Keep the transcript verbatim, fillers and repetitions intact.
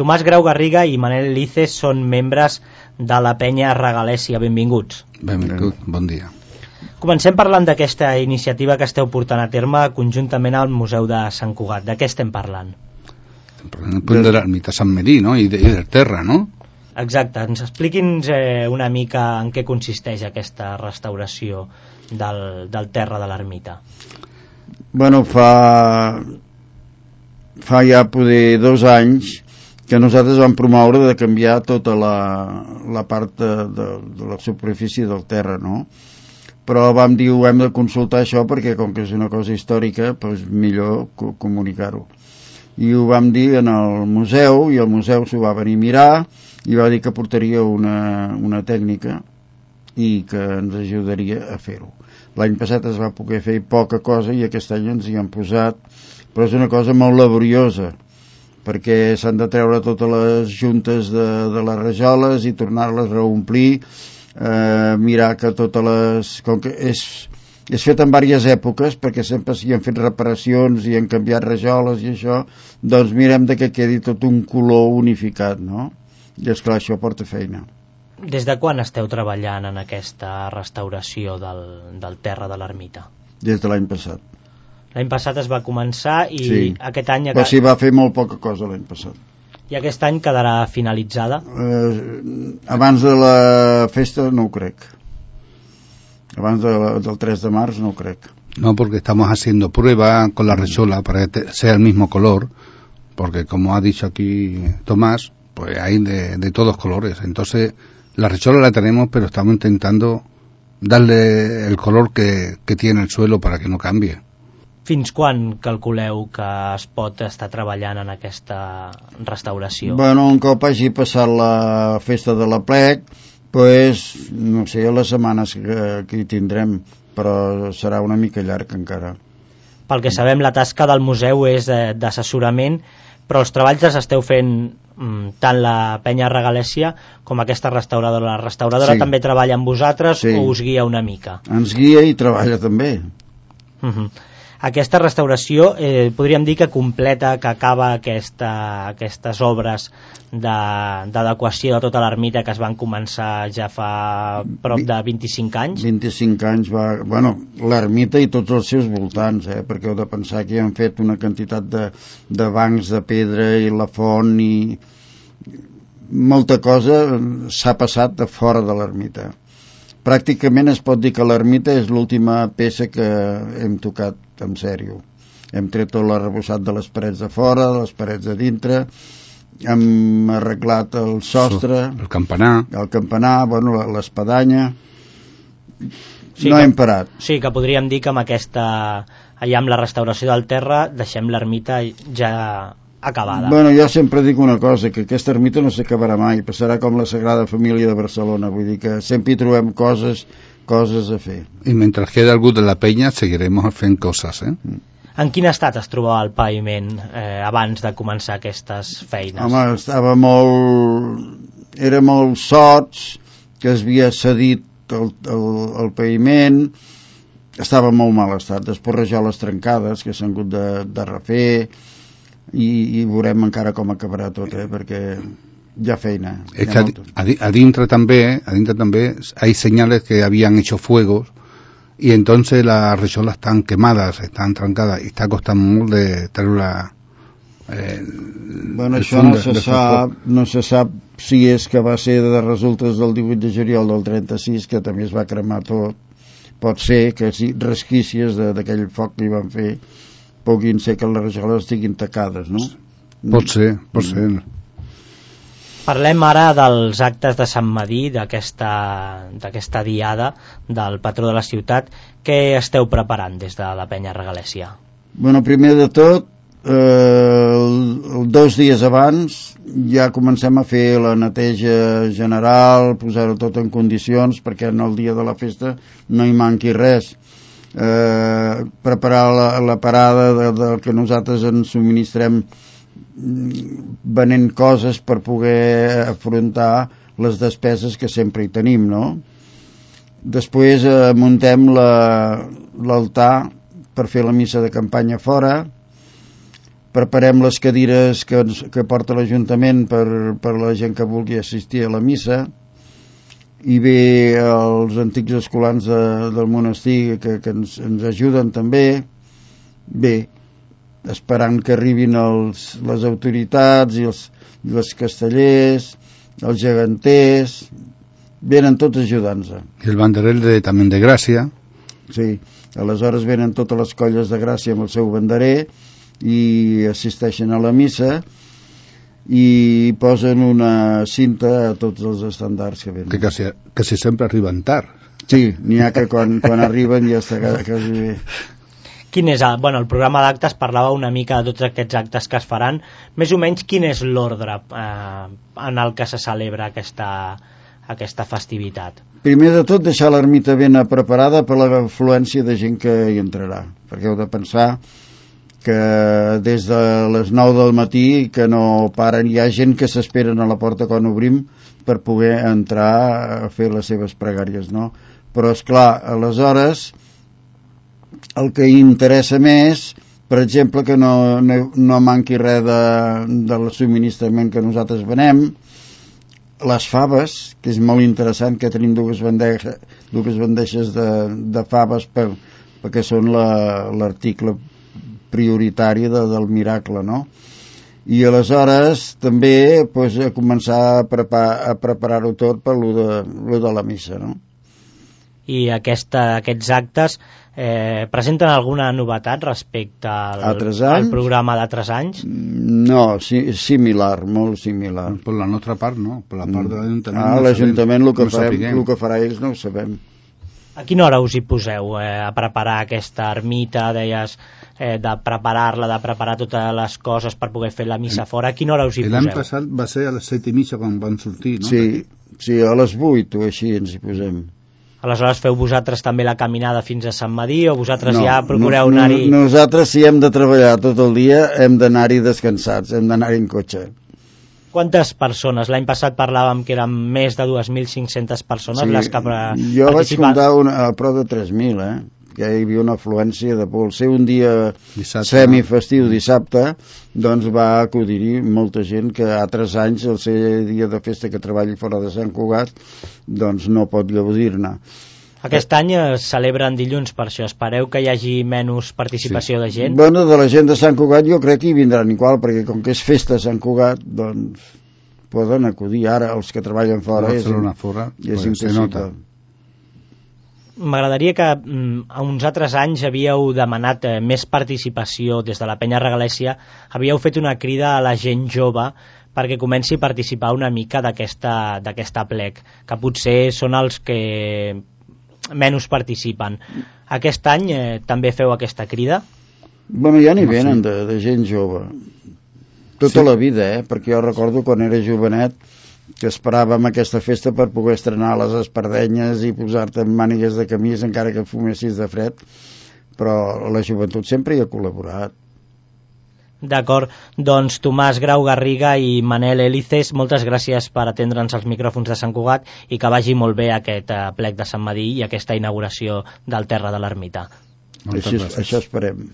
Tomàs Grau Garriga i Manel Lices són membres de la penya Regalèsia. Benvinguts. Benvingut, bon dia. Comencem parlant d'aquesta iniciativa que esteu portant a terme conjuntament al Museu de Sant Cugat. De què estem parlant? Estem parlant del de l'ermita Sant Medir, no? I, de, i del terra, no? Exacte. Ens expliqui'ns eh, una mica en què consisteix aquesta restauració del, del terra de l'ermita. Bueno, fa... fa ja poder dos anys que nosaltres vam promoure de canviar tota la, la part de, de, de la superfície del terra, no? Però vam dir, ho hem de consultar això perquè com que és una cosa històrica, doncs millor co comunicar-ho. I ho vam dir en el museu, i el museu s'ho va venir a mirar i va dir que portaria una, una tècnica i que ens ajudaria a fer-ho. L'any passat es va poder fer poca cosa i aquest any ens hi han posat, però és una cosa molt laboriosa, perquè s'han de treure totes les juntes de, de les rajoles i tornar-les a reomplir, eh, mirar que totes les... Com que és, és fet en diverses èpoques, perquè sempre s'hi han fet reparacions i han canviat rajoles i això, doncs mirem de que quedi tot un color unificat, no? I esclar, això porta feina. Des de quan esteu treballant en aquesta restauració del, del terra de l'ermita? Des de l'any passat. L'any passat es va començar i sí. aquest any... Però s'hi va fer molt poca cosa l'any passat. I aquest any quedarà finalitzada? Eh, abans de la festa no ho crec. Abans de la, del tres de març no ho crec. No, porque estamos haciendo prueba con la rechola para que sea el mismo color, porque como ha dicho aquí Tomás, pues hay de, de todos colores. Entonces, la rechola la tenemos, pero estamos intentando darle el color que, que tiene el suelo para que no cambie. Fins quan calculeu que es pot estar treballant en aquesta restauració? Bueno, un cop hagi passat la festa de la plec, pues, no sé, les setmanes que, que hi tindrem, però serà una mica llarg encara. Pel que sabem, la tasca del museu és d'assessorament, però els treballs els esteu fent mm, tant la penya Regalèsia com aquesta restauradora. La restauradora sí. també treballa amb vosaltres sí. o us guia una mica? Ens guia i treballa també. Uh-huh. Aquesta restauració eh, podríem dir que completa, que acaba aquesta, aquestes obres d'adequació de, de tota l'ermita que es van començar ja fa prop de vint-i-cinc anys. vint-i-cinc anys va... Bueno, l'ermita i tots els seus voltants, eh, perquè heu de pensar que hi han fet una quantitat de, de bancs de pedra i la font i... molta cosa s'ha passat de fora de l'ermita. Pràcticament es pot dir que l'ermita és l'última peça que hem tocat en sèrio. Hem tret tot l'arrebossat de les parets de fora, de les parets de dintre, hem arreglat el sostre, el campanar, el campanar, bueno, l'espadanya. Sí, no que, hem parat. Sí, que podríem dir que amb aquesta, allà amb la restauració del terra, deixem l'ermita ja acabada. Bueno, jo sempre dic una cosa, que aquesta ermita no s'acabarà mai, passarà com la Sagrada Família de Barcelona, vull dir que sempre hi trobem coses, coses a fer. I mentre queda algú de la penya seguirem fent coses, eh? En quin estat es trobava el paviment eh, abans de començar aquestes feines? Home, estava molt... era molt sots, que es havia cedit el, el, el paviment, estava en molt mal estat, després rajoles trencades que s'han hagut de, de refer, i, i veurem encara com acabarà tot, eh? Perquè hi ha feina. Es que adentro también, adentro también hay señales que habían hecho fuegos y entonces las recholas están quemadas, están trancadas y está costando molt de treure eh, bueno, això no se sap, no se sap si és que va ser de resultes del divuit de juliol del trenta-sis, que també es va cremar tot. Pot ser que sí, resquícies d'aquell foc que hi van fer puguin ser que les rajoles estiguin tacades, no? Pot ser, pot ser. Parlem ara dels actes de Sant Medir, d'aquesta diada del patró de la ciutat. Què esteu preparant des de la penya Regalèsia? Bueno, primer de tot, eh, el, el dos dies abans ja comencem a fer la neteja general, posar-ho tot en condicions perquè en el dia de la festa no hi manqui res. Eh, preparar la, la parada de, de que nosaltres ens subministrem venent coses per poder afrontar les despeses que sempre hi tenim, no? Després eh, muntem l'altar la, per fer la missa de campanya fora, preparem les cadires que, que porta l'Ajuntament per, per la gent que vulgui assistir a la missa, i bé els antics escolans de, del monestir que, que ens, ens ajuden també, bé, esperant que arribin els, les autoritats i els, i els castellers, els geganters, venen tots ajudant-nos. I el banderer de, també de Gràcia. Sí, aleshores venen totes les colles de Gràcia amb el seu banderer i assisteixen a la missa i posen una cinta a tots els estandards que venen. Que quasi, quasi sempre arriben tard. Sí, n'hi ha que quan, quan arriben ja està quasi bé. Quin és el, bueno, el programa d'actes parlava una mica de tots aquests actes que es faran. Més o menys quin és l'ordre eh, en el que se celebra aquesta, aquesta festivitat? Primer de tot deixar l'ermita ben preparada per l'afluència de gent que hi entrarà, perquè heu de pensar que des de les nou del matí que no paren, hi ha gent que s'esperen a la porta quan obrim per poder entrar a fer les seves pregàries, no? Però és clar, aleshores el que interessa més, per exemple, que no, no, no manqui res de, del subministrament que nosaltres venem, les faves, que és molt interessant, que tenim dues bandeges, dues bandeges de, de faves per, perquè són l'article la, prioritari de, del miracle, no? I aleshores també pues, a començar a, prepar, a preparar-ho tot per lo de, lo de la missa, no? I aquesta, aquests actes eh, presenten alguna novetat respecte al, al programa d'altres anys? No, si, similar, molt similar. Per la nostra part, no. Per la part de l'Ajuntament, ah, no l'Ajuntament el, que no farem, el que farà ells no ho sabem. A quina hora us hi poseu eh, a preparar aquesta ermita, deies, eh, de preparar-la, de preparar totes les coses per poder fer la missa fora? A quina hora us hi poseu? L'any passat va ser a les set i mitja quan vam sortir, no? Sí, sí, a les vuit o així ens hi posem. Aleshores feu vosaltres també la caminada fins a Sant Madí o vosaltres no, ja procureu no, anar-hi? No, nosaltres si hem de treballar tot el dia hem d'anar-hi descansats, hem d'anar-hi en cotxe. Quantes persones? L'any passat parlàvem que eren més de dues mil cinc-centes persones sí, les que participaven. Jo vaig comptar una, a prop de tres mil, eh? Que hi havia una afluència de por. Ser un dia dissabte, semifestiu dissabte, doncs va acudir-hi molta gent que altres anys, el ser dia de festa que treballi fora de Sant Cugat, doncs no pot gaudir-ne. Aquest any es celebren dilluns, per això espereu que hi hagi menys participació sí. de gent? Bueno, de la gent de Sant Cugat jo crec que hi vindran igual, perquè com que és festa a Sant Cugat, doncs poden acudir. Ara els que treballen fora és, fora, és pues, impossible. M'agradaria que mm, a uns altres anys havíeu demanat eh, més participació des de la Penya Regalèssia, havíeu fet una crida a la gent jove perquè comenci a participar una mica d'aquesta d'aquesta plec, que potser són els que menys participen. Aquest any eh, també feu aquesta crida? Bueno, ja n'hi venen de, de gent jove. Tota sí. La vida, eh? Perquè jo recordo quan era jovenet que esperàvem aquesta festa per poder estrenar les espardenyes i posar-te en mànigues de camís encara que fumessis de fred, però la joventut sempre hi ha col·laborat. D'acord, doncs Tomàs Grau Garriga i Manel Elices, moltes gràcies per atendre'ns als micròfons de Sant Cugat i que vagi molt bé aquest uh, plec de Sant Madí i aquesta inauguració del Terra de l'Ermita. Això, això esperem.